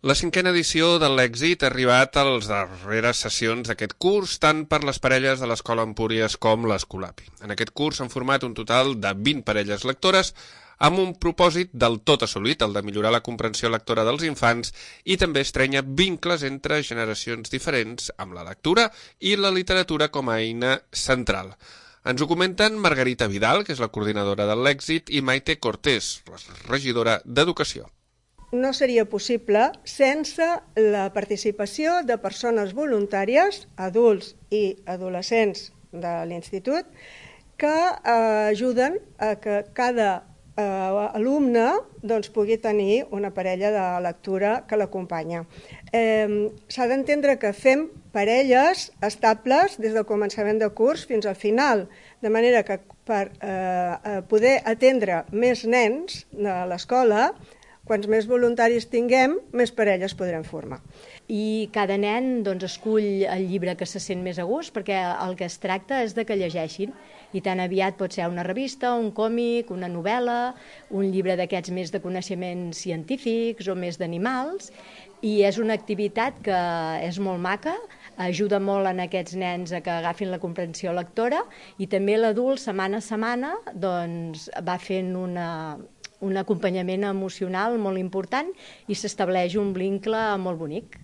La 5a edició de l'Èxit ha arribat a les darreres sessions d'aquest curs, tant per les parelles de l'Escola Empúries com l'Escolapi. En aquest curs s'han format un total de 20 parelles lectores amb un propòsit del tot assolit, el de millorar la comprensió lectora dels infants i també estrenya vincles entre generacions diferents amb la lectura i la literatura com a eina central. Ens ho comenten Margarita Vidal, que és la coordinadora de l'Èxit, i Maite Cortés, la regidora d'Educació. No seria possible sense la participació de persones voluntàries, adults i adolescents de l'institut, que ajuden a que cada alumne pugui tenir una parella de lectura que l'acompanya. S'ha d'entendre que fem parelles estables des del començament de curs fins al final, de manera que per poder atendre més nens de l'escola, quants més voluntaris tinguem, més parelles podrem formar. I cada nen escull el llibre que se sent més a gust, perquè el que es tracta és de que llegeixin. I tan aviat pot ser una revista, un còmic, una novel·la, un llibre d'aquests més de coneixements científics o més d'animals. I és una activitat que és molt maca, ajuda molt en aquests nens a que agafin la comprensió lectora i també l'adult, setmana a setmana, va fent un acompanyament emocional molt important i s'estableix un vincle molt bonic.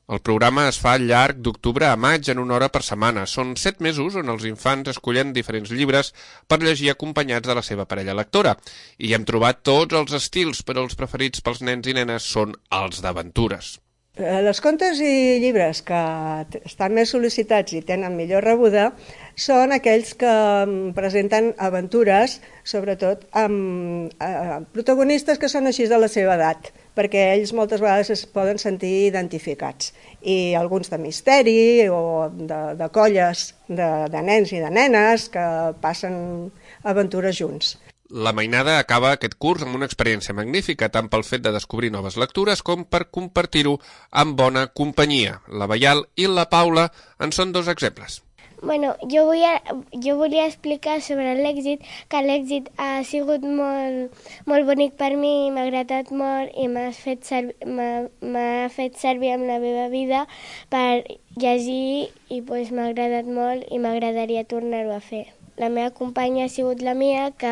El programa es fa al llarg d'octubre a maig en 1 hora per setmana. Són 7 mesos on els infants escollen diferents llibres per llegir acompanyats de la seva parella lectora. I hem trobat tots els estils, però els preferits pels nens i nenes són els d'aventures. Els contes i llibres que estan més sol·licitats i tenen millor rebuda són aquells que presenten aventures, sobretot amb protagonistes que són així de la seva edat, perquè ells moltes vegades es poden sentir identificats. I alguns de misteri o de colles de nens i de nenes que passen aventures junts. La mainada acaba aquest curs amb una experiència magnífica, tant pel fet de descobrir noves lectures com per compartir-ho amb bona companyia. La Baial i la Paula en són 2 exemples. Bueno, jo volia explicar sobre l'èxit, que l'èxit ha sigut molt bonic per mi, m'ha agradat molt i m'ha fet servir en la meva vida per llegir i m'ha agradat molt i m'agradaria tornar-ho a fer. La meva companya ha sigut la Mia, que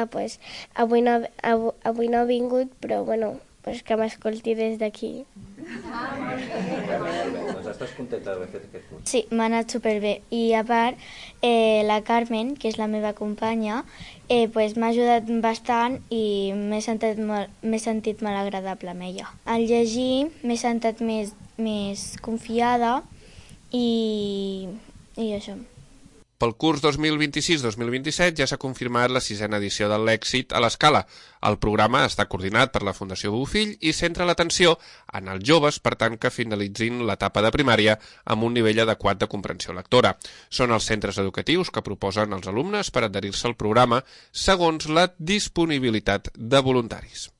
avui no ha vingut, però que m'escolti des d'aquí. Estàs contenta d'haver fet aquest curs? Sí, m'ha anat superbé. I a part, la Carmen, que és la meva companya, m'ha ajudat bastant i m'he sentit molt agradable amb ella. Al llegir m'he sentit més confiada i això. Pel curs 2026-2027 ja s'ha confirmat la 6a edició de l'Èxit a l'Escala. El programa està coordinat per la Fundació Bofill i centra l'atenció en els joves, per tant que finalitzin l'etapa de primària amb un nivell adequat de comprensió lectora. Són els centres educatius que proposen als alumnes per adherir-se al programa segons la disponibilitat de voluntaris.